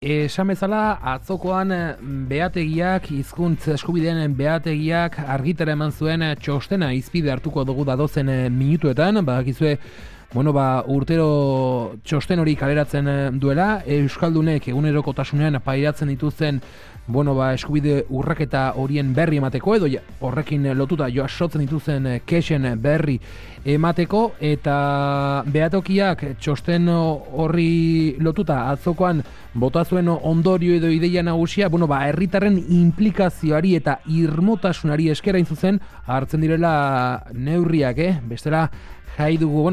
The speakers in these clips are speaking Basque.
Esan bezala, atzokoan behategiak, hizkuntz eskubideen behategiak argitara eman zuen txostena izpide hartuko dugu dadozen minutuetan, badakizue, urtero txosten hori kaleratzen duela, Euskaldunek egunerokotasunean pairatzen dituzten eskubide urraketa horien berri emateko, edo horrekin lotuta jasotzen dituzten kexen berri emateko, eta behatokiak txosten horri lotuta atzokoan bota zuen ondorio edo ideia nagusia, herritarren implikazioari eta irmotasunari eskera zuzen hartzen direla neurriak, bestela jai dugu,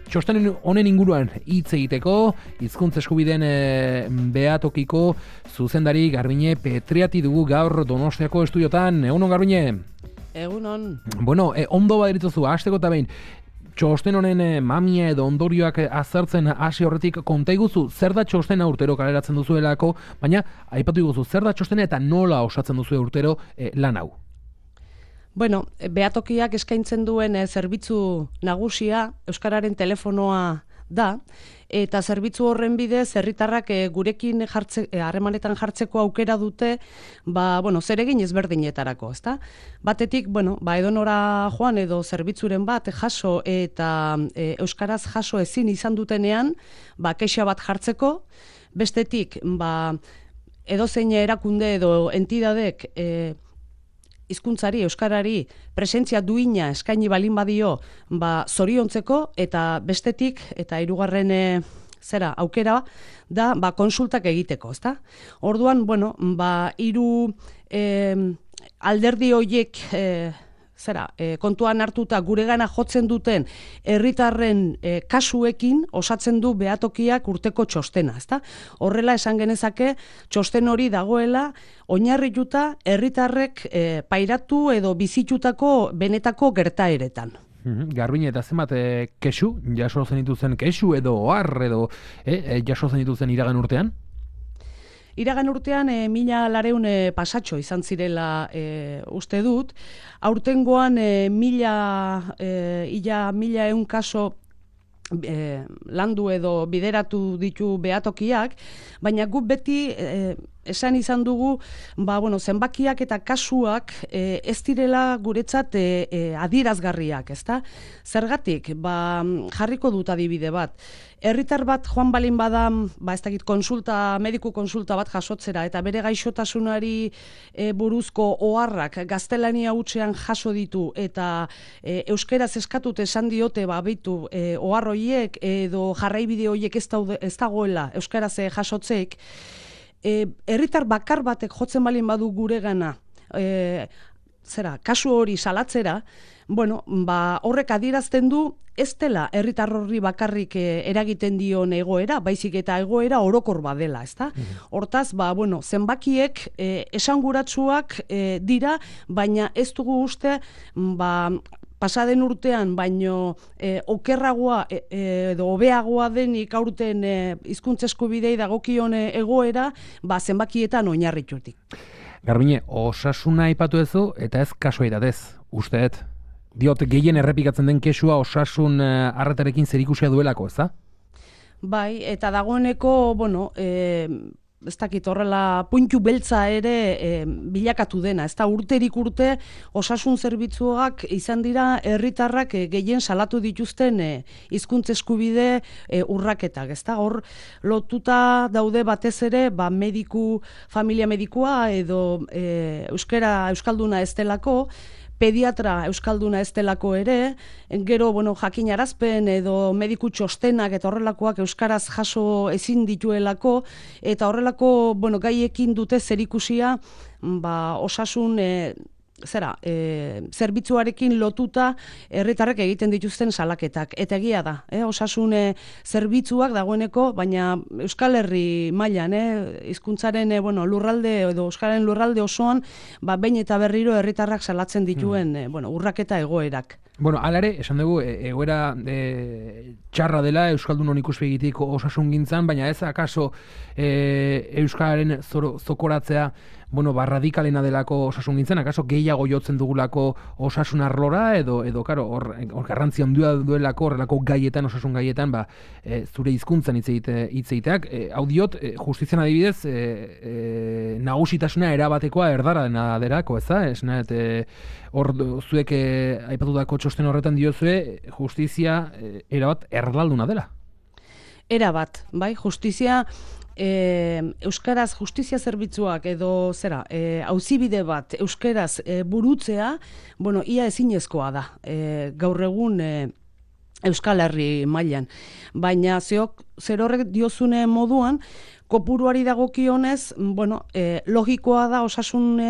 txosten honen inguruan hitz egiteko, hizkuntz eskubideen behatokiko zuzendari Garbine Petriati dugu gaur Donostiako estudiotan. Egunon, Garbine? Egunon. Ondo baderitzozu, hasteko eta behin, txosten honen mamia edo ondorioak azertzen hasi horretik konta iguzu, zer da txostena urtero kaleratzen duzuelako, baina aipatu iguzu, zer da txostena eta nola osatzen duzu urtero lan hau? Behatokiak eskaintzen duen zerbitzu nagusia Euskararen telefonoa da, eta zerbitzu horren bidez herritarrak gurekin harremanetan jartzeko aukera dute, zeregin ezberdinetarako, ezta? Batetik, edonora joan edo zerbitzuren bat jaso eta euskaraz jaso ezin izan dutenean, kexa bat jartzeko, bestetik, edozein erakunde edo entidadek hizkuntzari, euskarari presentzia duina eskaini balin badio, zoriontzeko, eta bestetik, eta hirugarren aukera da, konsultak egiteko, ezta? Orduan, hiru alderdi horiek kontuan hartuta guregana jotzen duten herritarren kasuekin osatzen du behatokiak urteko txostena, ezta? Horrela esan genezake txosten hori dagoela oinarrituta herritarrek pairatu edo bizitutako benetako gertaeretan. Garbine, eta zenbat kexu, jaso zen dituzen kexu edo ohar edo jaso zen dituzen iragan urtean? Iragan urtean 1.200 pasatxo izan zirela uste dut. Aurtengoan 1.100 kaso landu edo bideratu ditu behatokiak, baina guk beti esan izan dugu, zenbakiak eta kasuak ez direla guretzat adierazgarriak, ezta? Zergatik, jarriko dut adibide bat. Herritar bat joan balin bada, mediku konsulta bat jasotzera, eta bere gaixotasunari buruzko oharrak gaztelania hutsean jaso ditu, eta euskeraz eskatut esan diote, beitu, ohar horiek edo jarraibide horiek ez dagoela euskaraz jasotzeek, herritar bakar batek jotzen balin badu guregana kasu hori salatzera, horrek adierazten du ez dela herritar horri bakarrik eragiten dion egoera, baizik eta egoera orokor badela, ezta? Hortaz, zenbakiek esanguratsuak dira, baina ez dugu uste, pasaden urtean, baino okerragoa edo hobeagoa denik aurten hizkuntza eskubidei dagokion egoera, zenbakietan oinarritutik. Garbine, osasuna aipatu ezu eta ez kasualitatez, usteet. Diot, gehien errepikatzen den kexua osasun arretarekin zerikusia duelako, ezta? Bai, eta dagoeneko, ez dakit horrela puntu beltza ere bilakatu dena, ez da urterik urte osasun zerbitzuak izan dira herritarrak gehien salatu dituzten hizkuntza eskubide urraketak, ez da, hor lotuta daude batez ere familia medikua edo euskalduna ez delako, pediatra euskalduna ez delako ere, gero jakinarazpen edo mediku txostenak eta horrelakoak euskaraz jaso ezin dituelako, eta horrelako gaiekin dute zerikusia osasun zerbitzuarekin lotuta herritarrek egiten dituzten salaketak. Eta egia da, osasun zerbitzuak dagoeneko, baina Euskal Herri mailan, hizkuntzaren lurralde edo Euskararen lurralde osoan, behin eta berriro herritarrak salatzen dituen urraketa egoerak. Bueno, alare, esan dugu, egoera txarra dela Euskaldunon ikuspegitik osasun gintzan, baina ez akaso Euskararen zokoratzea radikalena delako osasun gintzen, akaso gehiago jotzen dugulako osasun arlora, edo hor garrantzia handia duelako horrelako gaietan, osasun gaietan, zure hizkuntzan hitz egiteak. Hau diot, justizian adibidez, nagusitasuna erabatekoa erdara dena derako, ez da? Esna, hor zuek aipatutako txosten horretan diozue, justizia erabat erdalduna dela. Erabat, bai, justizia... Euskaraz justizia zerbitzuak edo auzibide bat euskaraz burutzea, ia ezinezkoa da gaur egun Euskal Herri mailan. Baina zer horrek diozune moduan, kopuruari dagokionez, logikoa da osasun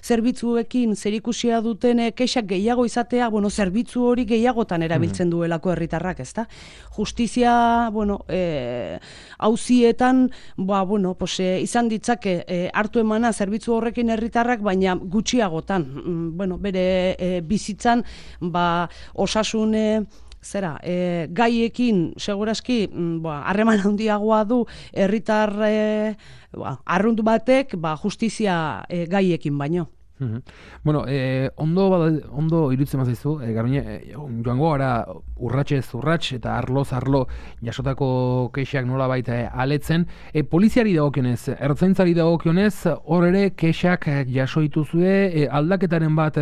zerbitzuekin zerikusia duten kexak gehiago izatea, zerbitzu hori gehiagotan erabiltzen duelako herritarrak, ezta? Justizia, auzietan, izan ditzake hartu emana zerbitzu horrekin herritarrak, baina gutxiagotan, bere bizitzan, osasun gaiekin segurazki harreman handiagoa du herritar arrunt batek justizia gaiekin baino. Ondo iruditzen mazaizu, Garbine, joango gara urratsez urrats eta arloz arlo jasotako kexak nola baita aletzen. Poliziari dagokionez, ertzaintzari dagokionez, hor ere kexak jaso dituzue, aldaketaren bat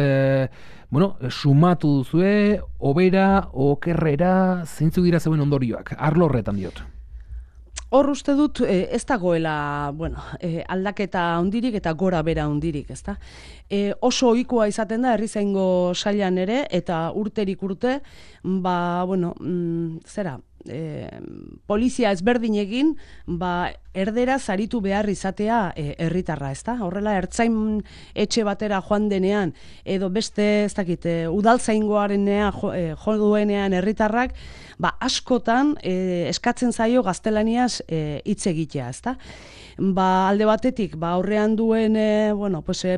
sumatu duzue, hobera, okerrera, zeintzuk dira zeuen ondorioak, arlo horretan diot. Hor uste dut ez dagoela aldaketa handirik eta gora bera handirik, ezta? Oso ohikoa izaten da herrizaingo sailan ere eta urterik urte, polizia ezberdinekin erderaz aritu behar izatea herritarra, ezta? Horrela ertzain etxe batera joan denean edo beste, ez dakit, udaltzaingoarenea jo duenean herritarrak, askotan eskatzen zaio gaztelaniaz hitz egitea, ezta? Alde batetik, aurrean duen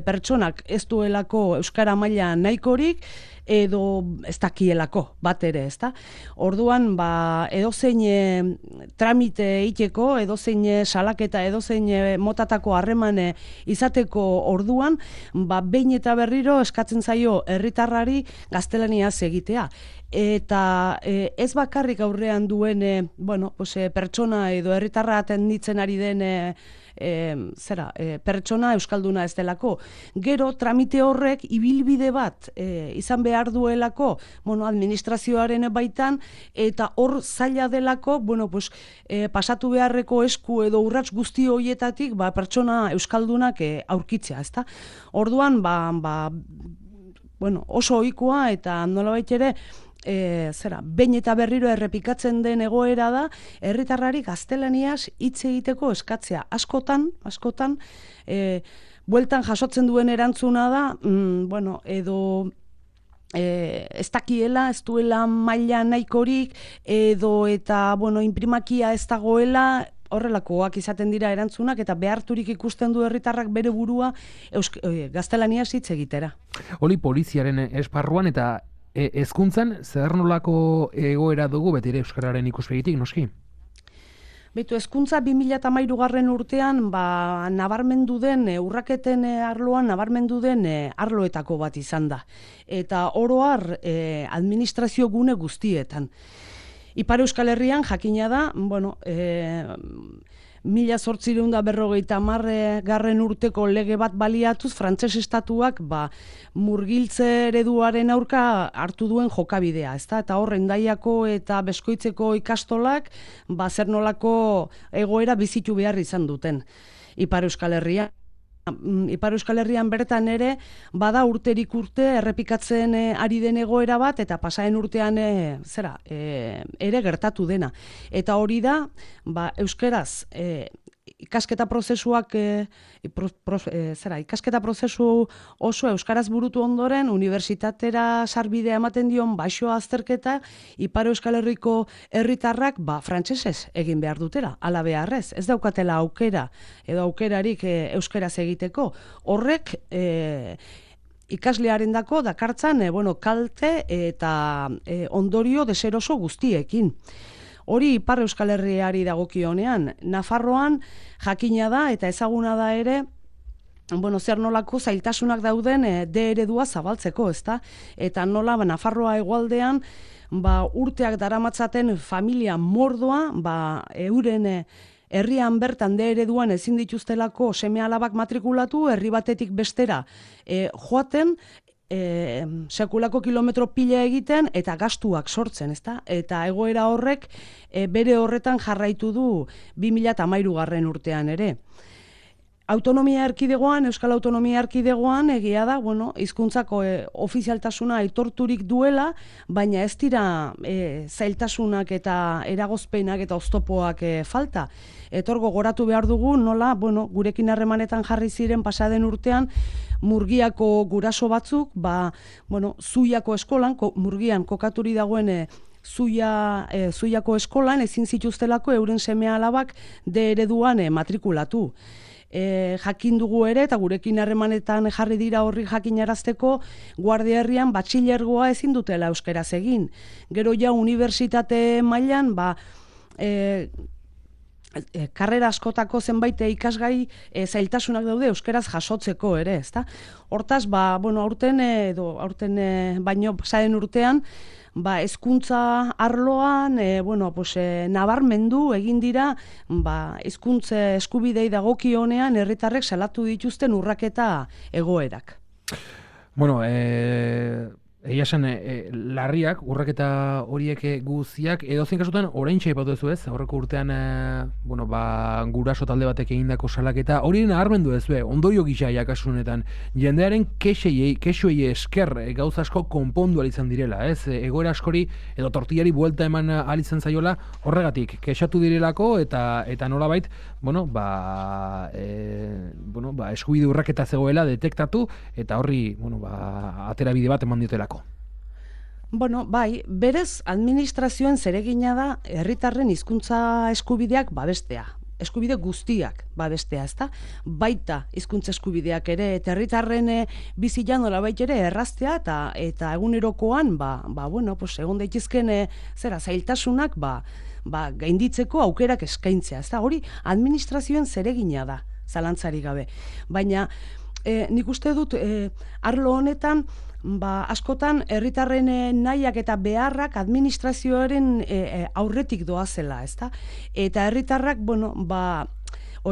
pertsonak ez duelako euskara maila nahikorik, edo ez dakielako bat ere, ezta? Orduan, edozein tramite egiteko, edozein salaketa, edozein motatako harreman izateko orduan, behin eta berriro eskatzen zaio herritarrari gaztelaniaz egitea. Eta ez bakarrik aurrean duen pertsona edo herritarra atenditzen ari den pertsona euskalduna ez delako. Gero tramite horrek ibilbide bat izan behar duelako administrazioaren baitan, eta hor zaila delako pasatu beharreko esku edo urrats guzti horietatik pertsona euskaldunak aurkitzea, ezta? Orduan oso ohikoa eta nolabait ere behin eta berriro errepikatzen den egoera da, herritarrari gaztelaniaz hitz egiteko eskatzea. Askotan, bueltan jasotzen duen erantzuna da, edo ez dakiela, ez duela maila nahikorik, edo eta, inprimakia ez dagoela, horrelakoak izaten dira erantzunak, eta beharturik ikusten du herritarrak bere burua gaztelaniaz hitz egitera. Hori poliziaren esparruan eta hezkuntzan zer nolako egoera dugu beti euskararen ikuspegitik, noski? Hezkuntza 2013 urtean nabarmendu den urraketen arloan nabarmendu den arloetako bat izan da. Eta oro har administrazio gune guztietan. Ipar Euskal Herrian jakina da, 1850 urteko lege bat baliatuz, frantses estatuak murgiltze ereduaren aurka hartu duen jokabidea, ezta? Eta hor Hendaiako eta Beskoitzeko ikastolak zer nolako egoera bizitu behar izan duten. Ipar Euskal Herrian bertan ere bada urterik urte errepikatzen ari den egoera bat, eta pasaen urtean ere gertatu dena. Eta hori da, euskaraz ikasketa prozesuak ikasketa prozesu oso euskaraz burutu ondoren unibertsitatera sarbidea ematen dion baxoa azterketa Ipar Euskal Herriko herritarrak frantsesez egin behar dutela, ala beharrez. Ez daukatela aukera edo aukerarik euskaraz egiteko. Horrek ikaslearendako dakartzan kalte eta ondorio deseroso guztiekin. Hori Ipar Euskal Herriari dagokionean, Nafarroan jakina da eta ezaguna da ere, zer nolako zailtasunak dauden D eredua zabaltzeko, ezta? Eta nola Nafarroa hegoaldean urteak daramatzaten familia mordoa, euren herrian bertan D ereduan ezin dituztelako seme-alabak matrikulatu, herri batetik bestera joaten, sekulako kilometro pila egiten eta gastuak sortzen, ezta? Eta egoera horrek bere horretan jarraitu du 2013 urtean ere. Autonomia erkidegoan, Euskal Autonomia erkidegoan egia da, hizkuntzako ofizialtasuna aitorturik duela, baina ez dira zailtasunak eta eragozpenak eta oztopoak falta. Etor gogoratu behar dugu, nola, gurekin harremanetan jarri ziren pasaden urtean, Murgiako guraso batzuk, Zuiako eskolan, Murgian kokaturi dagoen Zuiako eskolan ezin zituztelako euren seme-alabak D ereduan matrikulatu. Jakin dugu ere, eta gurekin harremanetan jarri dira horri jakinarazteko, Guardia Herrian batxilergoa ezin dutela euskaraz egin. Gero ja unibertsitate mailan, karrera askotako zenbait ikasgai zailtasunak daude euskaraz jasotzeko ere, ezta? Hortaz, aurten baino pasaren urtean, hezkuntza arloan, nabarmendu egin dira, hezkuntza eskubidei dagokionean herritarrek salatu dituzten urraketa egoerak. Egia esan, larriak, urraketa horiek guztiak, edozein kasutan, oraintxe aipatu duzu ez, aurreko urtean, guraso talde batek egindako salaketa, hori nabarmendu duzu, ondorio gisa jakasunetan, jendearen kexuei esker gauza asko konpondu izan direla, ez? Egoera askori, edo tortillari buelta eman izan zaiola, horregatik, kexatu direlako, eta nolabait, eskubide urraketa zegoela detektatu, eta horri, aterabide bat eman diotelako. Berez administrazioen zeregina da herritarren hizkuntza eskubideak babestea. Eskubide guztiak babestea, ezta? Baita hizkuntza eskubideak ere, eta herritarren bizian nolabait ere erraztea eta egunerokoan, egon daitezken zailtasunak gainditzeko aukerak eskaintzea, ezta? Hori administrazioen zeregina da, zalantzarik gabe. Baina nik uste dut arlo honetan askotan herritarren nahiak eta beharrak administrazioaren aurretik doazela, ezta? Eta herritarrak,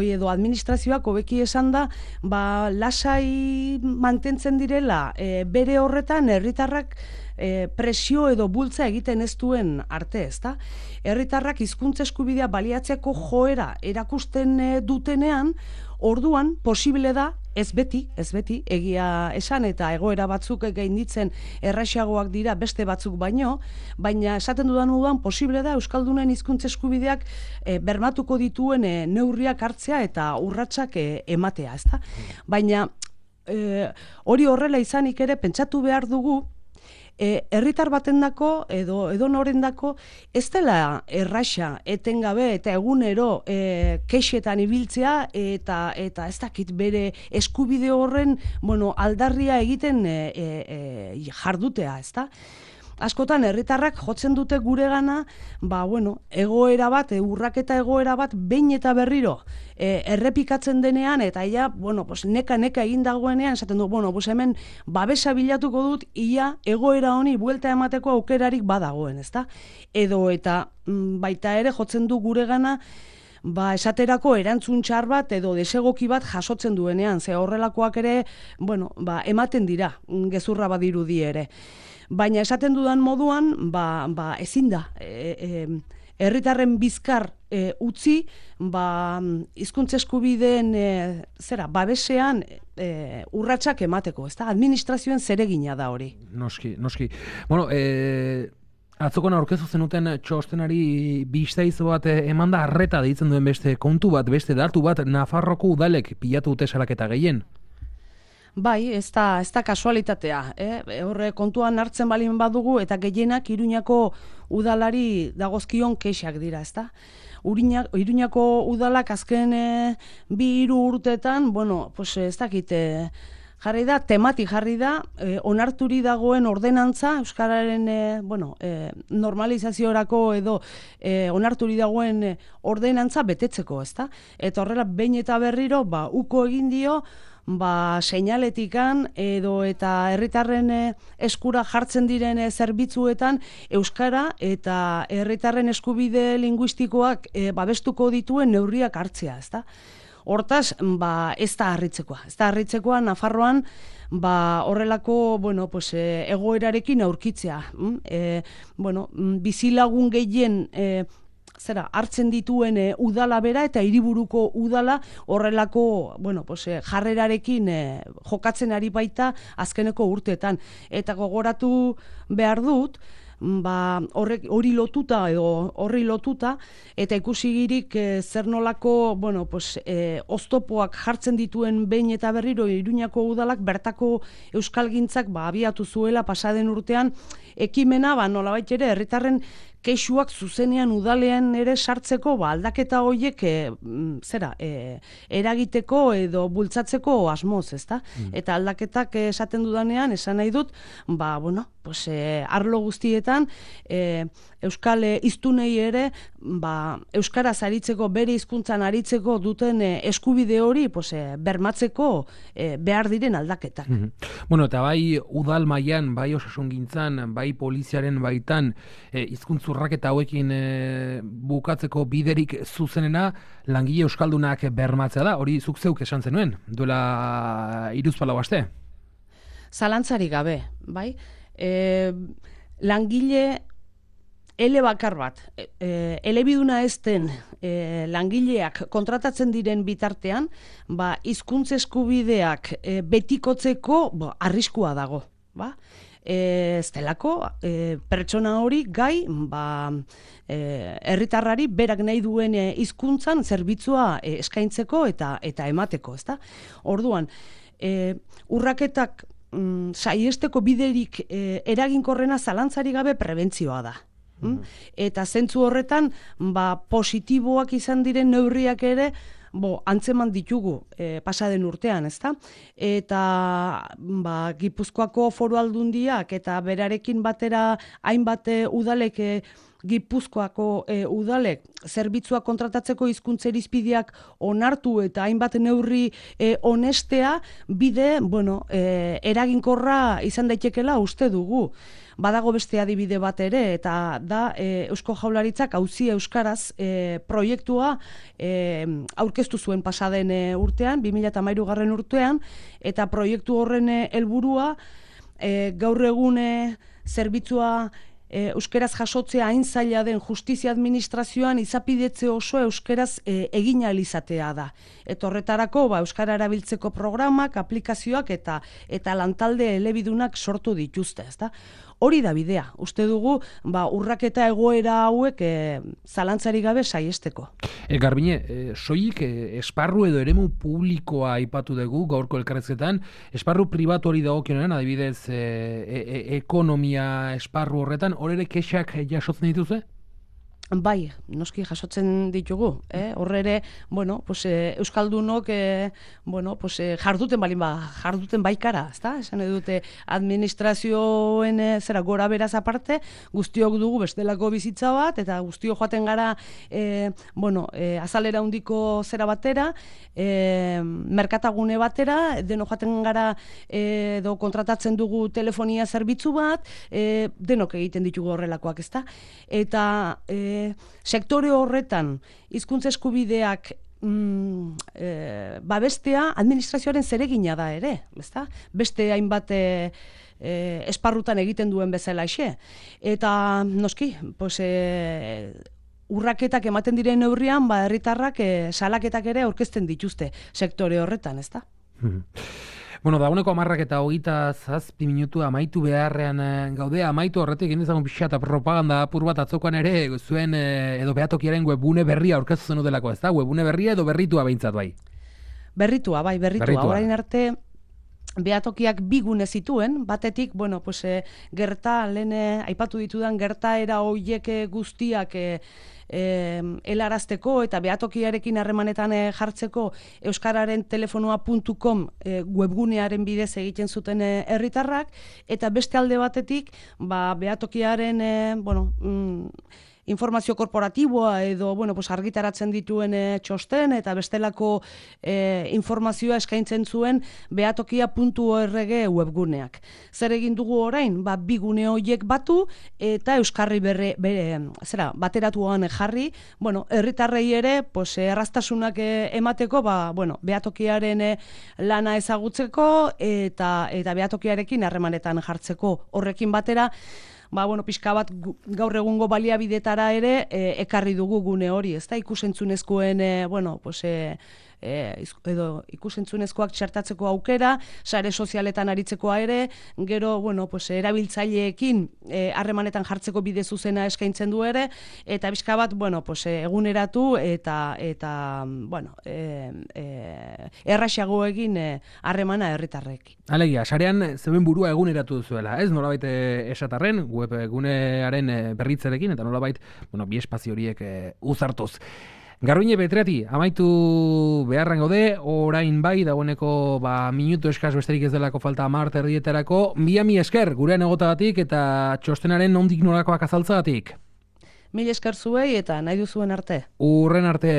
edo administrazioak hobeki esan da, lasai mantentzen direla bere horretan herritarrak presio edo bultza egiten ez duen arte, ezta? Herritarrak hizkuntza eskubidea baliatzeko joera erakusten dutenean, orduan posible da, ez beti, egia esan eta egoera batzuk gainditzen erraxagoak dira beste batzuk baino, baina esaten dudan moduan posible da euskaldunen hizkuntza eskubideak bermatuko dituen neurriak hartzea eta urratsak ematea, ezta? Baina hori horrela izanik ere pentsatu behar dugu herritar batendako edo norendako ez dela erraxa etengabe eta egunero kexetan ibiltzea eta ez dakit bere eskubide horren aldarria egiten jardutea, ezta? Askotan herritarrak jotzen dute guregana, egoera bat, urraketa egoera bat behin eta berriro errepikatzen denean eta neka egin dagoenean esaten du, hemen babesa bilatuko dut ia egoera honi buelta emateko aukerarik badagoen, ezta? Edo eta baita ere jotzen du guregana esaterako erantzun txar bat edo desegoki bat jasotzen duenean, ze horrelakoak ere, ematen dira, gezurra badirudi ere. Baina esaten dudan moduan, ezin da, herritarren bizkar utzi, hizkuntza eskubideen babesean urratsak emateko, ezta? Administrazioen zeregina da hori. Noski. Atzokon aurkezu zenuten txostenari biztaizo bat eman da arreta deitzen duen beste kontu bat, beste datu bat, Nafarroko udalek pilatu dute salaketa gehien. Bai, ez da kasualitatea. Horre kontuan hartzen balin badugu eta gehienak Iruñako udalari dagozkion kexak dira, ezta? Iruñako udalak azken 2-3 urteetan, ez dakit jarri da, tematik jarri da, onarturi dagoen ordenantza, euskararen normalizaziorako edo onarturi dagoen ordenantza betetzeko, ezta? Eta horrela, behin eta berriro, uko egin dio, seinaletikan edo eta herritarren eskura jartzen diren zerbitzuetan euskara eta herritarren eskubide linguistikoak babestuko dituen neurriak hartzea, ezta? Hortaz, ez da harritzekoa. Ez da harritzekoa Nafarroan horrelako, egoerarekin aurkitzea. Bizilagun gehien hartzen dituen udala bera eta hiriburuko udala horrelako, jarrerarekin jokatzen ari baita azkeneko urteetan. Eta gogoratu behar dut, horri lotuta eta ikusigirik zer nolako oztopoak jartzen dituen behin eta berriro Iruñako udalak bertako euskalgintzak abiatu zuela pasaden urtean ekimena nolabait ere herritarren kexuak zuzenean udalean ere sartzeko aldaketa horiek eragiteko edo bultzatzeko asmoz, ezta? Eta aldaketak esaten dudanean esan nahi dut, arlo guztietan euskal hiztunei ere euskaraz aritzeko, bere hizkuntzan aritzeko duten eskubide hori bermatzeko behar diren aldaketak. Eta bai udal mailan, bai osasungintzan, bai poliziaren baitan hizkuntz urraketa hauekin bukatzeko biderik zuzenena langile euskaldunak bermatzea da. Hori zuk zeuk esan zenuen, duela 3-4 aste. Zalantzarik gabe, bai? Langile bakar bat, elebiduna ez den langileak kontratatzen diren bitartean, hizkuntz eskubideak betikotzeko arriskua dago, ez delako pertsona hori gai herritarrari berak nahi duen hizkuntzan zerbitzua eskaintzeko eta emateko, ezta? Orduan, urraketak saiesteko biderik eraginkorrena zalantzarik gabe prebentzioa da. Eta zentzu horretan, positiboak izan diren neurriak ere antzeman ditugu pasaden urtean, ezta? Eta Gipuzkoako Foru Aldundiak eta berarekin batera hainbat udalek Gipuzkoako udalek zerbitzua kontratatzeko hizkuntza irizpideak onartu eta hainbat neurri onestea bide, eraginkorra izan daitekela uste dugu. Badago beste adibide bat ere, eta da Eusko Jaurlaritzak auzia euskaraz proiektua aurkeztu zuen pasaden urtean, 2013 urtean, eta proiektu horren helburua gaur egun zerbitzua euskeraz jasotzea hain zaila den justizia administrazioan izapidetze oso euskeraz egin ahal izatea da. Eta horretarako euskara erabiltzeko programak, aplikazioak eta lantalde elebidunak sortu dituzte, ezta? Hori da bidea. Uste dugu urraketa egoera hauek zalantzarik gabe saiesteko. Garbine, soilik esparru edo eremu publikoa aipatu dugu gaurko elkarrezketan, esparru pribatu hori dagokionean, adibidez ekonomia esparru horretan, hor ere kexak jasotzen dituze? Bai, noski jasotzen ditugu. Horre ere, euskaldunok jarduten baikara, ezta? Esan edute administrazioen gora beraz aparte, guztiok dugu bestelako bizitza bat, eta guztiok joaten gara azalera handiko zera batera, merkatagune batera, deno joaten gara edo kontratatzen dugu telefonia zerbitzu bat, denok egiten ditugu horrelakoak, ezta? Eta sektore horretan hizkuntza eskubideak babestea administrazioaren zeregina da ere, ezta? Beste hainbat esparrutan egiten duen bezalaxe. Eta noski, urraketak ematen diren neurrian, herritarrak salaketak ere aurkezten dituzte sektore horretan, ezta? Dagoeneko 10:27 minutu amaitu beharrean gaude, amaitu horretik egin dezagun pixa eta propaganda apur bat atzokoan ere zuen edo behatokiaren webune berria aurkeztu zen udelako, ez da? Webune berria edo berritua behintzat bai? Berritua. Orain arte behatokiak bi gune zituen, batetik, gerta, lehen aipatu ditudan gertaera horiek guztiak helarazteko eta behatokiarekin harremanetan jartzeko euskararen telefonoa.com webgunearen bidez egiten zuten herritarrak, eta beste alde batetik behatokiaren informazio korporatiboa edo argitaratzen dituen txosten eta bestelako informazioa eskaintzen zuen behatokia.org webguneak. Zer egin dugu orain? Bi gune horiek batu eta euskarri bateratuan jarri, herritarrei ere erraztasunak emateko behatokiaren lana ezagutzeko eta behatokiarekin harremanetan jartzeko. Horrekin batera pixka bat gaur egungo baliabidetara ere ekarri dugu gune hori, ez da, ikusentzunezkoen, edo ikusentzunezkoak txertatzeko aukera, sare sozialetan aritzekoa ere, gero, erabiltzaileekin harremanetan jartzeko bide zuzena eskaintzen du ere, eta pixka bat, eguneratu eta erraxago egin harremana herritarrek. Alegia, sarean zeuen burua eguneratu duzuela, ez? Nolabait esatarren, web gunearen berritzerekin, eta nolabait, bi espazio horiek uzartuz. Garbiñe Betriati, amaitu beharren gaude, orain bai, dagoeneko minutu eskaz besterik ez delako falta 10 erdietarako, mila esker gurean egotagatik eta txostenaren nondik norakoak azaltzagatik. Mila esker zuei eta nahi duzuen arte. Urren arte.